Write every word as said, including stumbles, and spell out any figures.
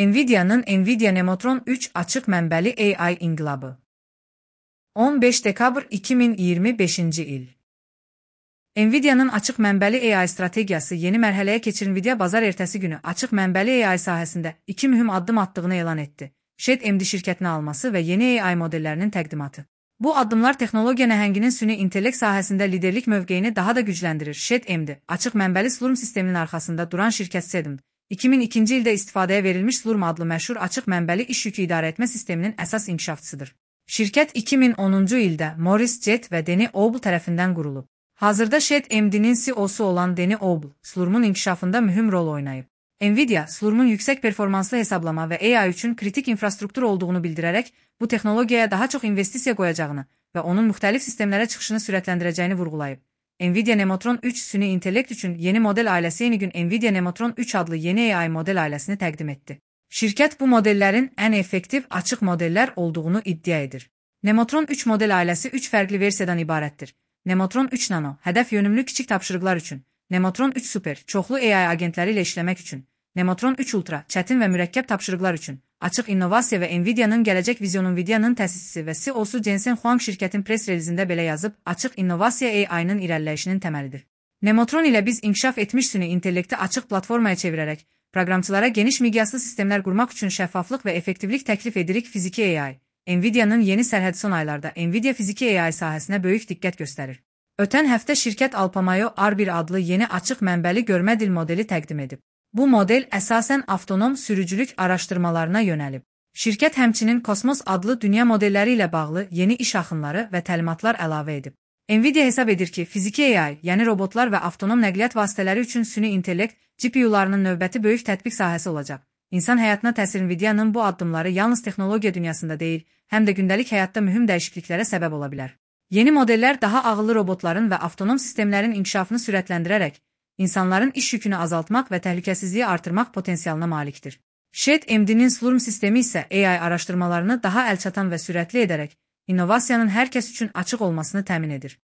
Nvidia'nın Nvidia Nemotron üç açıq mənbəli A I inqilabı. on beş dekabr iki min iyirmi beşinci il. Nvidia'nın açıq mənbəli A I strategiyası yeni mərhələyə keçir. Nvidia bazar ertəsi günü açıq mənbəli A I sahəsində iki mühüm addım attığını elan etdi. ShedMD şirkətini alması və yeni A I modellərinin təqdimatı. Bu addımlar texnologiya nəhənginin süni intellekt sahəsində liderlik mövqeyini daha da gücləndirir. ShedMD, açıq mənbəli Slurm sisteminin arxasında duran şirkət ShedMD, iki min ikinci ildə istifadəyə verilmiş Slurm adlı məşhur açıq mənbəli iş yükü idarə etmə sisteminin əsas inkişafçısıdır. Şirkət iki min onuncu ildə Morris Jet və Danny Oble tərəfindən qurulub. Hazırda ShedMD'nin C E O'su olan Danny Oble, Slurm'un inkişafında mühüm rol oynayıb. Nvidia, Slurm'un yüksək performanslı hesablama və A I üçün kritik infrastruktur olduğunu bildirərək, bu texnologiyaya daha çox investisiya qoyacağını və onun müxtəlif sistemlərə çıxışını sürətləndirəcəyini vurğulayıb. Nvidia Nemotron üç süni intellekt üçün yeni model ailəsi yeni gün Nvidia Nemotron üç adlı yeni A I model ailəsini təqdim etdi. Şirkət bu modellərin ən effektiv açıq modellər olduğunu iddia edir. Nemotron üç model ailəsi üç fərqli versiyadan ibarətdir. Nemotron üç Nano, hədəf yönümlü kiçik tapşırıqlar üçün. Nemotron üç Super, çoxlu A I agentləri ilə işləmək üçün. Nemotron üç Ultra, çətin və mürəkkəb tapşırıqlar üçün. Açıq innovasiya və Nvidia'nın gələcək vizyonu. Nvidia'nın təsisçisi və C E O'su Jensen Huang şirkətin press relizində belə yazıb, açıq innovasiya A I-nın irəliləyişinin təməlidir. Nemotron ilə biz inkişaf etmiş süni intellekti açıq platformaya çevirərək, proqramçılara geniş miqyaslı sistemlər qurmaq üçün şəffaflıq və effektivlik təklif edirik. Fiziki A I. Nvidia'nın yeni sərhəd son aylarda Nvidia fiziki A I sahəsinə böyük diqqət göstərir. Ötən həftə şirkət Alpamayo R bir adlı yeni açıq mənbəli görmə dil modeli təqdim edib. Bu model əsasən avtonom sürücülük araşdırmalarına yönəlib. Şirkət həmçinin Kosmos adlı dünya modelləri ilə bağlı yeni iş axınları və təlimatlar əlavə edib. Nvidia hesab edir ki, fiziki A I, yəni robotlar və avtonom nəqliyyat vasitələri üçün süni intellekt G P U'larının növbəti böyük tətbiq sahəsi olacaq. İnsan həyatına təsir. Nvidia'nın bu addımları yalnız texnologiya dünyasında deyil, həm də gündəlik həyatda mühüm dəyişikliklərə səbəb ola bilər. Yeni modellər daha ağıllı robotların və avtonom sistemlərin inkişafını sürətləndirərək, insanların iş yükünü azaltmaq və təhlükəsizliyi artırmaq potensialına malikdir. ShedMD'nin Slurm sistemi isə A I araşdırmalarını daha əlçatan və sürətli edərək, innovasiyanın hər kəs üçün açıq olmasını təmin edir.